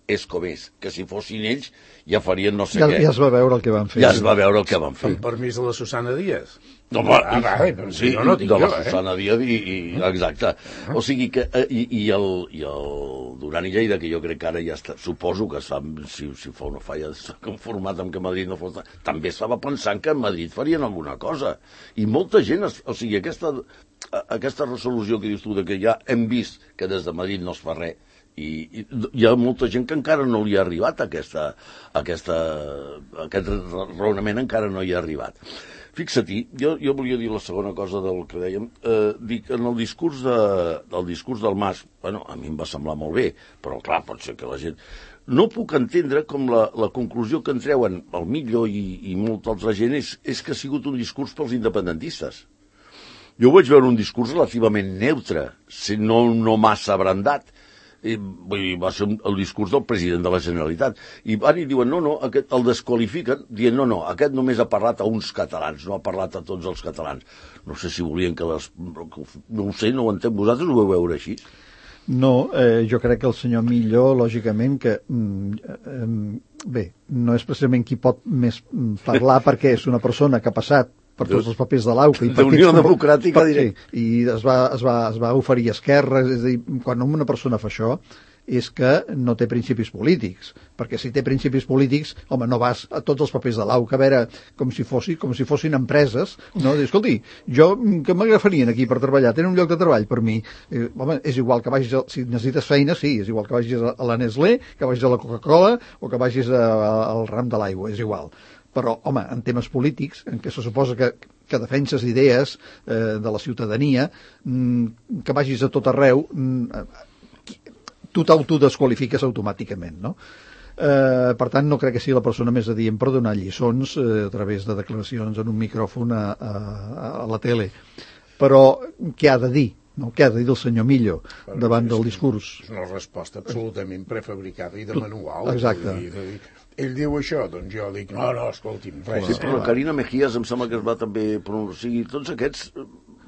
Speaker 5: és com és, que si fossin ells ja farien no sé
Speaker 3: ja,
Speaker 5: què.
Speaker 3: Ja es va veure el que van fer.
Speaker 5: Ja es va veure el que van fer.
Speaker 4: Amb permís de la Susana Díaz.
Speaker 5: No, va,
Speaker 4: ah, va, però
Speaker 5: sí,
Speaker 4: jo no tinc
Speaker 5: de la
Speaker 4: jo, eh?
Speaker 5: Susana Díaz i, i exacte. O sigui que i, i, el, i el Duran i Lleida, que jo crec que ara ja està, suposo que es fa, si, si fa o no fa, ja s'ha conformat amb que Madrid no fos... També estava pensant que a Madrid farien alguna cosa. I molta gent, es, o sigui, aquesta... aquesta resolució que dius tu, de que ja hem vist que des de Madrid no es fa res, i, i hi ha molta gent que encara no li ha arribat aquesta, aquesta, aquest raonament encara no hi ha arribat. Fixa-t'hi, jo, jo volia dir la segona cosa del que dèiem, eh, dic, en el discurs, de, del discurs del Mas, bueno, a mi em va semblar molt bé, però clar, pot ser que la gent... No puc entendre com la, la conclusió que en treuen el Millo i, i molta altra gent és, és que ha sigut un discurs pels independentistes. Jo vaig veure un discurs relativament neutre, no, no massa abrandat. I, vull dir, va ser el discurs del president de la Generalitat. I van i diuen, no, no, aquest, el desqualifiquen, dient, no, no, aquest només ha parlat a uns catalans, no ha parlat a tots els catalans. No sé si volien que les... No ho sé, no ho entenc. Vosaltres ho vau veure així?
Speaker 3: No, eh, jo crec que el senyor Millo, lògicament, que... Mm, eh, bé, no és precisament qui pot més parlar perquè és una persona que ha passat per tots els papers de l'Auca.
Speaker 5: D'Unió Democràtica, diré.
Speaker 3: Sí, i es va, es, va, es va oferir a Esquerra, és a dir, quan una persona fa això és que no té principis polítics, perquè si té principis polítics, home, no vas a tots els papers de l'Auca, a veure, com si, fossi, com si fossin empreses, no? Dir, escolti, jo, que m'agafarien aquí per treballar? Tenen un lloc de treball per mi? Eh, home, és igual que vagis, a, si necessites feina, sí, és igual que vagis a, a la Nestlé, que vagis a la Coca-Cola o que vagis a, a, al ram de l'aigua, és igual. Però, home, en temes polítics, en què se suposa que, que defenses idees eh, de la ciutadania, mm, que vagis a tot arreu, mm, tu t'autodesqualifiques automàticament, no? Eh, per tant, no crec que sigui la persona més adient per donar lliçons eh, a través de declaracions en un micròfon a, a, a la tele. Però què ha de dir? No? Què ha de dir el senyor Millo bueno, davant del discurs?
Speaker 4: És una resposta absolutament prefabricada i de manual.
Speaker 3: Exacte.
Speaker 4: Dir, dir, ell diu això, doncs jo dic, no, no, escolti'm, res.
Speaker 5: Sí, però la Carina Mejías em sembla que es va també pronunciar. O sigui, tots aquests,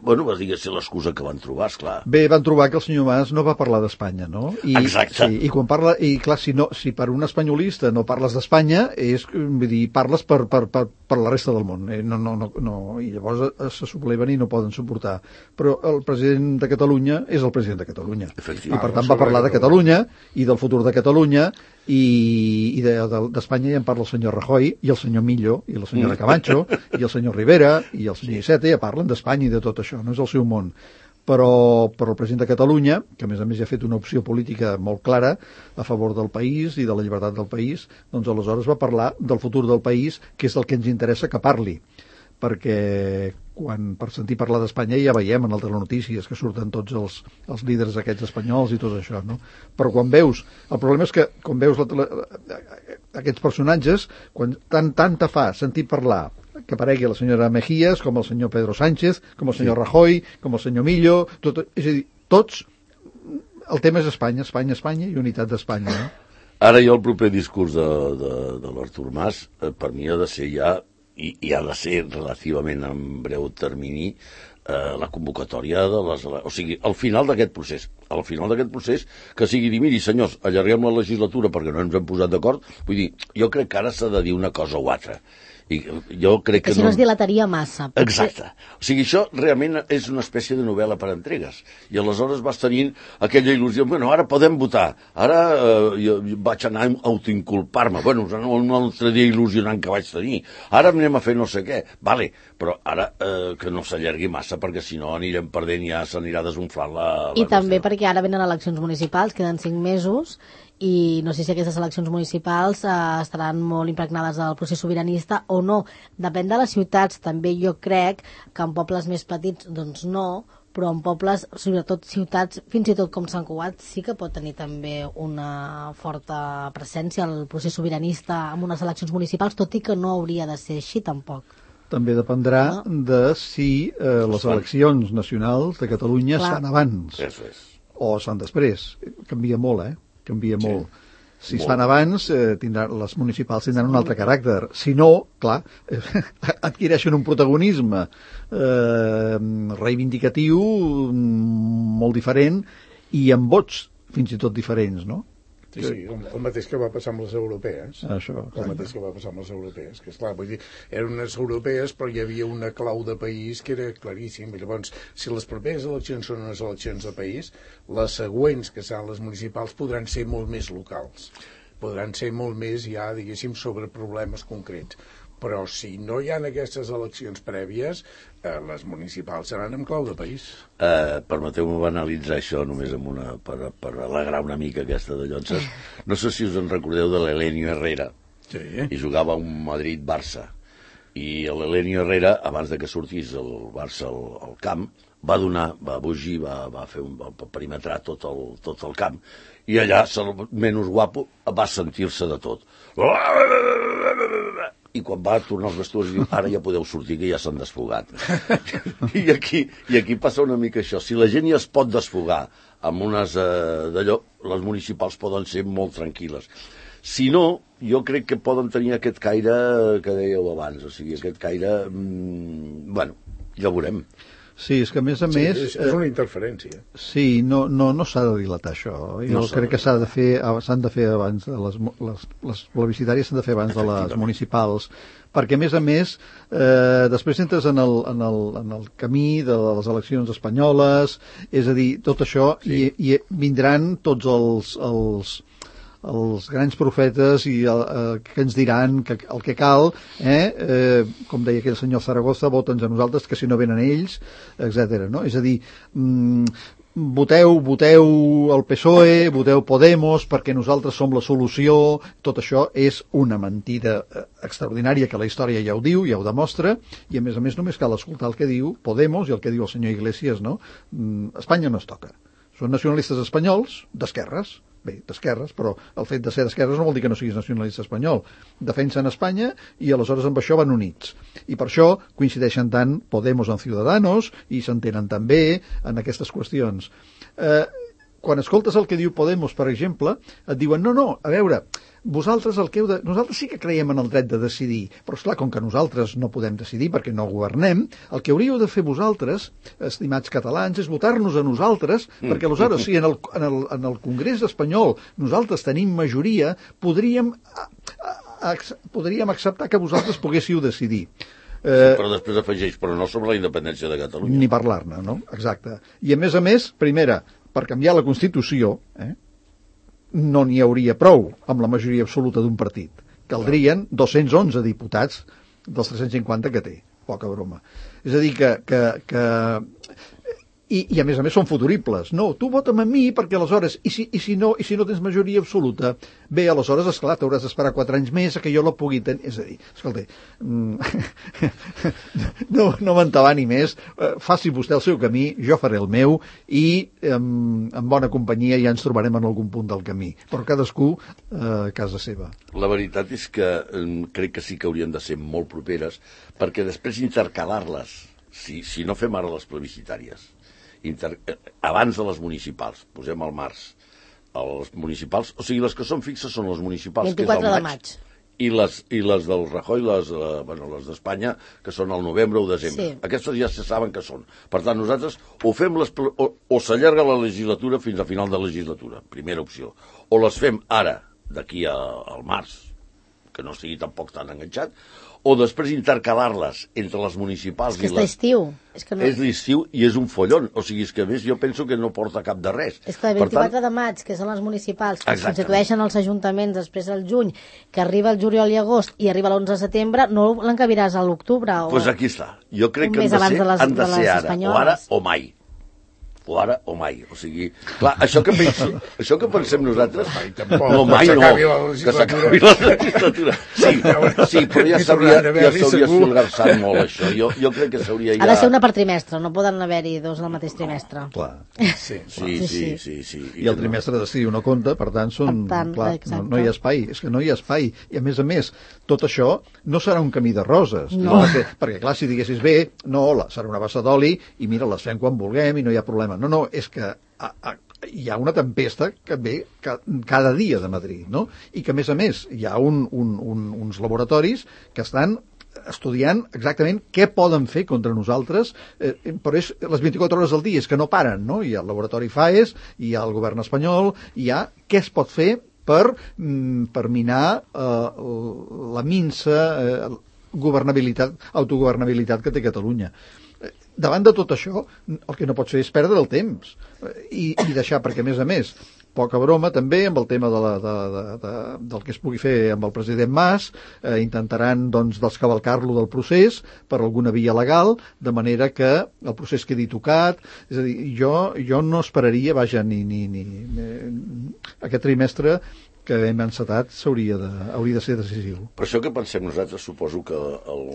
Speaker 5: bueno, va dir que ser l'excusa que van trobar, esclar.
Speaker 3: Bé, van trobar que el senyor Mas no va parlar d'Espanya, no? I,
Speaker 5: Exacte.
Speaker 3: Sí, i quan parla, i clar, si, no, si per un espanyolista no parles d'Espanya, és, vull dir, parles per, per, per, per la resta del món. Eh? No, no, no, no, i llavors se subleven i no poden suportar. Però el president de Catalunya és el president de Catalunya. I per tant va parlar de Catalunya i del futur de Catalunya i, i d'Espanya de, ja en parla el senyor Rajoy i el senyor Millo i la senyora Camacho i el senyor Rivera i el senyor Iceta ja parlen d'Espanya i de tot això, no és el seu món. Però, però el president de Catalunya, que a més a més ja ha fet una opció política molt clara a favor del país i de la llibertat del país, doncs aleshores va parlar del futur del país, que és el que ens interessa que parli. Perquè quan per sentir parlar d'Espanya ja veiem en altres notícies que surten tots els, els líders aquests espanyols i tot això, no? Però quan veus, el problema és que quan veus la, la, aquests personatges, quan tant, tant te fa sentir parlar que aparegui la senyora Mejías, com el senyor Pedro Sánchez, com el senyor Rajoy, com el senyor Millo, tot, és a dir, tots, el tema és Espanya, Espanya, Espanya i unitat d'Espanya, no?
Speaker 5: Ara jo el proper discurs de, de, de l'Artur Mas, eh, per mi ha de ser ja, i, i ha de ser relativament en breu termini, eh, la convocatòria de les... O sigui, al final d'aquest procés, al final d'aquest procés, que sigui dir, miri, senyors, allarguem la legislatura perquè no ens hem posat d'acord, vull dir, jo crec que ara s'ha de dir una cosa o altra. I jo crec que,
Speaker 2: que si no, no es dilataria massa.
Speaker 5: Potser... Exacte. O sigui, això realment és una espècie de novel·la per entregues. I aleshores vas tenint aquella il·lusió, bueno, ara podem votar, ara eh, jo vaig anar a autoinculpar-me, bueno, un altre dia il·lusionant que vaig tenir, ara anem a fer no sé què, vale, però ara eh, que no s'allargui massa, perquè si no anirem perdent i ja s'anirà desunflant la... la
Speaker 2: I també
Speaker 5: qüestió.
Speaker 2: perquè ara venen eleccions municipals, queden cinc mesos, i no sé si aquestes eleccions municipals eh, estaran molt impregnades del procés sobiranista o no. Depèn de les ciutats, també jo crec que en pobles més petits doncs no, però en pobles, sobretot ciutats, fins i tot com Sant Cugat, sí que pot tenir també una forta presència al procés sobiranista amb unes eleccions municipals, tot i que no hauria de ser així tampoc.
Speaker 3: També dependrà no? de si eh, les eleccions nacionals de Catalunya Clar. es fan abans
Speaker 5: Eso és.
Speaker 3: o es fan després. Canvia molt, eh? Canvia sí. molt. Si
Speaker 5: molt.
Speaker 3: es fan abans, eh, tindran, les municipals tindran un altre caràcter. Si no, clar, eh, adquireixen un protagonisme eh, reivindicatiu molt diferent i amb vots fins i tot diferents, no?
Speaker 4: Sí, sí, el, el mateix que va passar amb les europees.
Speaker 3: Això,
Speaker 4: el mateix que va passar amb les europees, que esclar, vull dir, eren unes europees però hi havia una clau de país que era claríssim. I llavors, si les properes eleccions són unes eleccions de país, les següents, que seran les municipals, podran ser molt més locals. Podran ser molt més ja, diguéssim, sobre problemes concrets. però si no hi ha aquestes eleccions prèvies, eh, les municipals seran en clau de país.
Speaker 5: Eh, permeteu-me banalitzar això només amb una, per, per alegrar una mica aquesta de Llonses. No sé si us en recordeu de l'Elenio Herrera,
Speaker 4: Sí.
Speaker 5: i jugava un Madrid-Barça, i l'Elenio Herrera, abans de que sortís el Barça al, al camp, va donar, va bugir, va, va fer un, va perimetrar tot el, tot el camp, i allà, el menys guapo, va sentir-se de tot. I quan va tornar als vestuaris diu, ara ja podeu sortir, que ja s'han desfogat. I aquí, i aquí passa una mica això. Si la gent ja es pot desfogar amb unes eh, d'allò, les municipals poden ser molt tranquil·les. Si no, jo crec que poden tenir aquest caire que dèieu abans, o sigui, aquest caire... Mmm, bueno, ja ho veurem.
Speaker 3: Sí, és que a més a
Speaker 4: Sí,
Speaker 3: més...
Speaker 4: és, és una interferència.
Speaker 3: Sí, no, no, no s'ha de dilatar això. Jo
Speaker 5: No
Speaker 3: crec que s'ha de fer, s'han de fer abans de les, les, les plebiscitàries s'han de fer abans de les municipals, perquè a més a més eh, després entres en el, en, el, en el camí de les eleccions espanyoles, és a dir, tot això, sí. i, i vindran tots els... els els grans profetes i el, eh, que ens diran que el que cal, eh, eh, com deia aquell senyor Zaragoza, vota'ns a nosaltres, que si no venen ells, etcètera. No? És a dir, mm, voteu, voteu el P S O E, voteu Podemos, perquè nosaltres som la solució. Tot això és una mentida extraordinària que la història ja ho diu, ja ho demostra, i a més a més només cal escoltar el que diu Podemos i el que diu el senyor Iglesias, no? Mm, Espanya no es toca. Són nacionalistes espanyols d'esquerres, bé, d'esquerres, però el fet de ser d'esquerres no vol dir que no siguis nacionalista espanyol. Defensen Espanya i aleshores amb això van units. I per això coincideixen tant Podemos en Ciudadanos i s'entenen també en aquestes qüestions. Eh, quan escoltes el que diu Podemos, per exemple, et diuen, no, no, a veure, vosaltres el que heu de... Nosaltres sí que creiem en el dret de decidir, però esclar, com que nosaltres no podem decidir perquè no governem, el que hauríeu de fer vosaltres, estimats catalans, és votar-nos a nosaltres, mm. perquè aleshores, si en el, en, el, en el Congrés espanyol nosaltres tenim majoria, podríem, a, a, a, podríem acceptar que vosaltres poguéssiu decidir.
Speaker 5: Eh, però després afegeix, però no sobre la independència de Catalunya.
Speaker 3: Ni parlar-ne, no? Exacte. I a més a més, primera, per canviar la Constitució, eh, no n'hi hauria prou amb la majoria absoluta d'un partit. Caldrien dos-cents onze diputats dels tres-cents cinquanta que té. Poca broma. És a dir, que... que, que I, i a més a més són futuribles. No, tu vota'm a mi perquè aleshores, i si, i si, no, i si no tens majoria absoluta, bé, aleshores, esclar, t'hauràs d'esperar quatre anys més a que jo la pugui tenir. És a dir, escolta, no, no m'entabani més, faci vostè el seu camí, jo faré el meu, i amb, amb bona companyia ja ens trobarem en algun punt del camí. Però cadascú eh, a casa seva.
Speaker 5: La veritat és que eh, crec que sí que haurien de ser molt properes, perquè després intercalar-les, si, si no fem ara les plebiscitàries, Inter... abans de les municipals, posem al març, els municipals, o sigui, les que són fixes són les municipals,
Speaker 2: vint-i-quatre
Speaker 5: que és
Speaker 2: de
Speaker 5: el
Speaker 2: maig,
Speaker 5: i les, i les del Rajoy, les, eh, bueno, les d'Espanya, que són al novembre o desembre.
Speaker 2: Sí.
Speaker 5: Aquestes ja se saben que són. Per tant, nosaltres o fem les, o, o s'allarga la legislatura fins a final de legislatura, primera opció, o les fem ara, d'aquí a, al març, que no estigui tampoc tan enganxat, o després intercalar-les entre les municipals
Speaker 2: és que
Speaker 5: i
Speaker 2: és
Speaker 5: les...
Speaker 2: l'estiu. És, que no...
Speaker 5: és l'estiu i és un follon. O sigui, és que a més jo penso que no porta cap de res.
Speaker 2: És que el vint-i-quatre de maig, que són les municipals, que es constitueixen els ajuntaments després del juny, que arriba el juliol i agost i arriba l'onze de setembre, no l'encabiràs a l'octubre.
Speaker 5: Doncs pues aquí està. Jo crec
Speaker 2: que han de ser, de les, han de ser ara, espanyoles.
Speaker 5: o ara o mai. O ara o mai. O sigui, clar, això que, pensi, això que pensem nosaltres...
Speaker 4: Mai, tampoc,
Speaker 5: no, mai no,
Speaker 4: que
Speaker 5: s'acabi la legislatura. Sí, sí, però ja s'hauria ja esfolgarsat molt, això. Jo, jo crec que s'hauria ja...
Speaker 2: Ha de ser una per trimestre, no poden haver-hi dos al mateix trimestre.
Speaker 3: Clar.
Speaker 5: Sí, sí, sí, sí, sí.
Speaker 3: I el trimestre d'estiu no compta, per tant, són,
Speaker 2: per tant,
Speaker 3: clar, no, no hi ha espai. És que no hi ha espai. I a més a més, tot això no serà un camí de roses.
Speaker 2: No.
Speaker 3: Perquè, perquè, clar, si diguessis bé, no, la, serà una bassa d'oli i mira, les fem quan vulguem i no hi ha problema. No, no, és que a, a, hi ha una tempesta que ve ca, cada dia de Madrid, no? I que, a més a més, hi ha un, un, un, uns laboratoris que estan estudiant exactament què poden fer contra nosaltres, eh, però és les vint-i-quatre hores al dia, és que no paren, no? Hi ha el laboratori FAES, hi ha el govern espanyol, hi ha què es pot fer per, per minar eh, la minsa eh, governabilitat, autogovernabilitat que té Catalunya. Davant de tot això, el que no pot fer és perdre el temps i, i deixar, perquè a més a més, poca broma també amb el tema de la, de, de, de, del que es pugui fer amb el president Mas, eh, intentaran doncs descavalcar-lo del procés per alguna via legal, de manera que el procés quedi tocat. És a dir, jo, jo no esperaria, vaja, ni, ni, ni, ni aquest trimestre que hem encetat s'hauria de, hauria de ser decisiu.
Speaker 5: Per això que pensem nosaltres, suposo que el,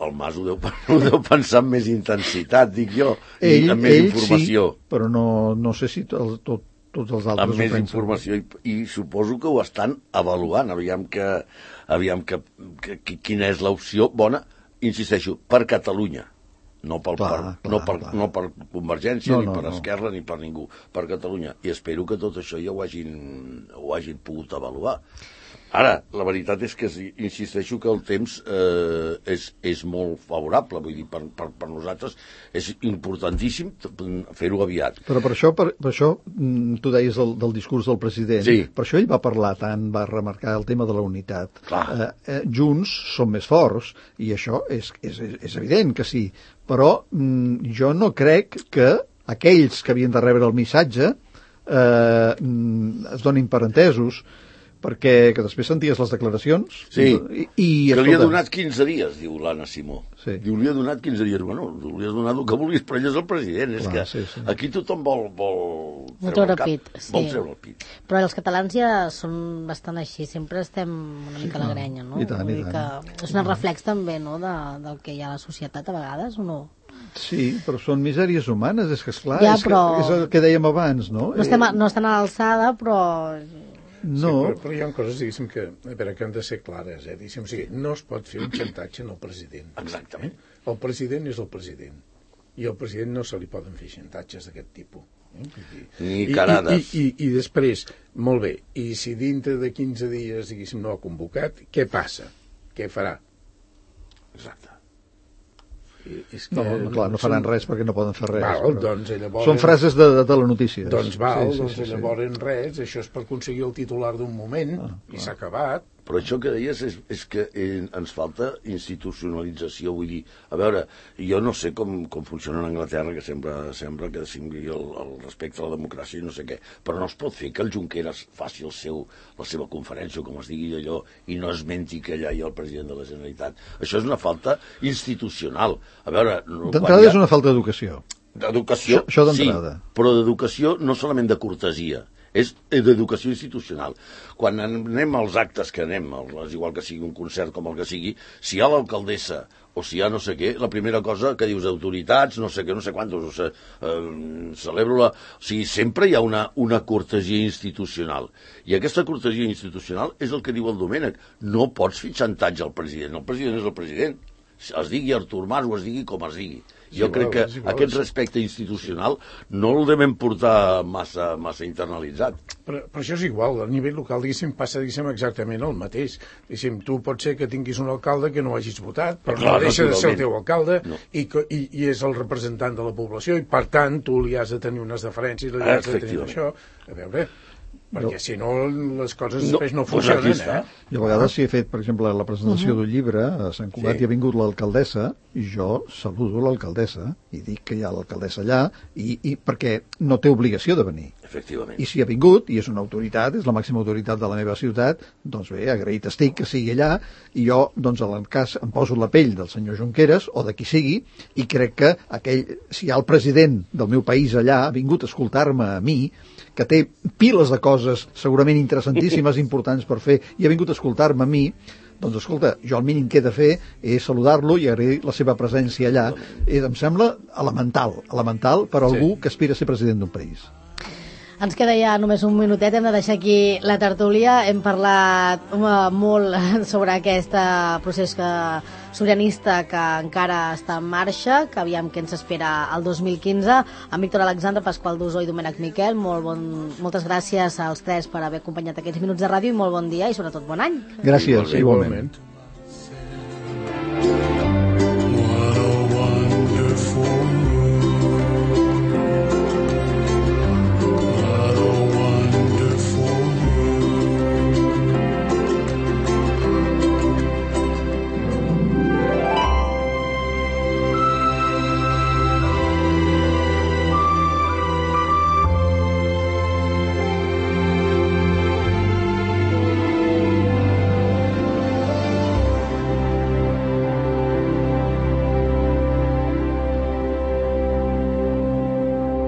Speaker 5: el Mas ho deu, ho deu pensar amb més intensitat, dic jo, ell, i amb més
Speaker 3: ell
Speaker 5: informació.
Speaker 3: Sí, però no, no sé si tot, tot, tots els altres
Speaker 5: amb més informació, i, i suposo que ho estan avaluant, aviam que, aviam que, que, que quina és l'opció bona, insisteixo, per Catalunya. No, pel, clar, per, clar, no, per, no per Convergència, no, ni no, per Esquerra, no. ni per ningú, per Catalunya. I espero que tot això ja ho hagin, ho hagin pogut avaluar. Ara, la veritat és que insisteixo que el temps eh, és, és molt favorable, vull dir, per, per, per nosaltres és importantíssim fer-ho aviat.
Speaker 3: Però per això, per, per això tu deies del, del discurs del president,
Speaker 5: sí.
Speaker 3: Per això ell va parlar tant, va remarcar el tema de la unitat.
Speaker 5: Clar.
Speaker 3: Eh, eh, junts som més forts, i això és, és, és evident que sí, però mm, jo no crec que aquells que havien de rebre el missatge eh, es donin per entesos, perquè que després senties les declaracions
Speaker 5: sí,
Speaker 3: i, i
Speaker 5: que
Speaker 3: escolta,
Speaker 5: li ha donat quinze dies, diu l'Anna Simó.
Speaker 3: Sí.
Speaker 5: Diu, li ha donat quinze dies. Bueno, li has donat el que vulguis, però ell és el president. Clar, és que
Speaker 3: sí, sí.
Speaker 5: Aquí tothom vol, vol
Speaker 2: treure el pit. Sí.
Speaker 5: Vol treure el pit.
Speaker 2: Però els catalans ja són bastant així, sempre estem una mica a la grenya, no?
Speaker 3: I tant, i tant.
Speaker 2: Que és un reflex també, no?, de, del que hi ha a la societat a vegades, o no?
Speaker 3: Sí, però són misèries humanes, és que esclar,
Speaker 2: ja,
Speaker 3: és,
Speaker 2: però...
Speaker 3: que, és el que dèiem abans, no?
Speaker 2: No, estem a, no estan a l'alçada, però...
Speaker 3: No.
Speaker 4: Sí, però, però hi ha coses, diguéssim, que, a veure, que han de ser clares, eh? Diguéssim, o sigui, no es pot fer un xantatge en el president.
Speaker 5: Exactament.
Speaker 4: Eh? El president és el president, i al president no se li poden fer xantatges d'aquest tipus. Eh? I,
Speaker 5: Ni carades.
Speaker 4: I, i, i, I després, molt bé, i si dintre de quinze dies, diguéssim, no ha convocat, què passa? Què farà?
Speaker 5: Exacte.
Speaker 3: És que, no, no, clar, no faran són... res perquè no poden fer res.
Speaker 4: Val, però... doncs, llavors...
Speaker 3: Són frases de, de, de la notícia.
Speaker 4: Doncs val,
Speaker 3: sí, sí,
Speaker 4: doncs
Speaker 3: sí, sí,
Speaker 4: llavors sí. res, això és per aconseguir el titular d'un moment ah, i s'ha acabat.
Speaker 5: Però això que deies és, és que eh, ens falta institucionalització, vull dir, a veure, jo no sé com, com funciona en Anglaterra, que sembla, sembla que sigui el, el respecte a la democràcia i no sé què, però no es pot fer que el Junqueras faci el seu, la seva conferència, com es digui allò, i no esmenti que allà hi ha el president de la Generalitat. Això és una falta institucional. A veure...
Speaker 3: D'entrada ha... és una falta d'educació.
Speaker 5: D'educació,
Speaker 3: això, això
Speaker 5: sí,
Speaker 3: d'entrada.
Speaker 5: Però d'educació no solament de cortesia, és d'educació institucional. Quan anem als actes que anem, és igual que sigui un concert com el que sigui, si hi ha l'alcaldessa o si hi ha no sé què, la primera cosa que dius autoritats, no sé què, no sé quantos, o sigui, eh, celebro la... O sigui, sempre hi ha una, una cortesia institucional. I aquesta cortesia institucional és el que diu el Domènec. No pots fer xantatge al president. El president és el president. Es digui Artur Mas o es digui com es digui. Jo sí, crec que sí, aquest respecte institucional no el devem portar massa, massa internalitzat.
Speaker 4: Però, però això és igual, a nivell local, diguéssim, passa diguéssim, exactament el mateix. Diguéssim, tu pot ser que tinguis un alcalde que no hagis votat, però clar, no deixa de ser el teu alcalde no. i, i, i és el representant de la població i, per tant, tu li has de tenir unes deferències, li has de tenir això. A veure... perquè no. Si no les coses no, després no funcionen, eh?
Speaker 3: Jo a vegades si he fet, per exemple, la presentació uh-huh. d'un llibre a Sant Cugat sí. i ha vingut l'alcaldessa i jo saludo l'alcaldessa i dic que hi ha l'alcaldessa allà i, i perquè no té obligació de venir.
Speaker 5: Efectivament.
Speaker 3: I si ha vingut, i és una autoritat, és la màxima autoritat de la meva ciutat, doncs bé, agraït estic que sigui allà i jo, doncs, en el cas, em poso la pell del senyor Junqueras o de qui sigui i crec que aquell, si hi ha el president del meu país allà, ha vingut a escoltar-me a mi, que té piles de coses segurament interessantíssimes, importants per fer, i ha vingut a escoltar-me a mi, doncs escolta, jo el mínim que he de fer és saludar-lo i agrair la seva presència allà. I em sembla elemental, elemental per a algú sí. que aspira a ser president d'un país.
Speaker 2: Ens queda ja només un minutet, hem de deixar aquí la tertúlia. Hem parlat molt sobre aquest procés que, sobiranista que encara està en marxa, que aviam què ens espera el dos mil quinze. Amb Víctor Alexandre, Pasqual Dusó i Domènec Miquel, molt bon, moltes gràcies als tres per haver acompanyat aquests minuts de ràdio i molt bon dia i sobretot bon any.
Speaker 3: Gràcies, igualment.
Speaker 4: igualment.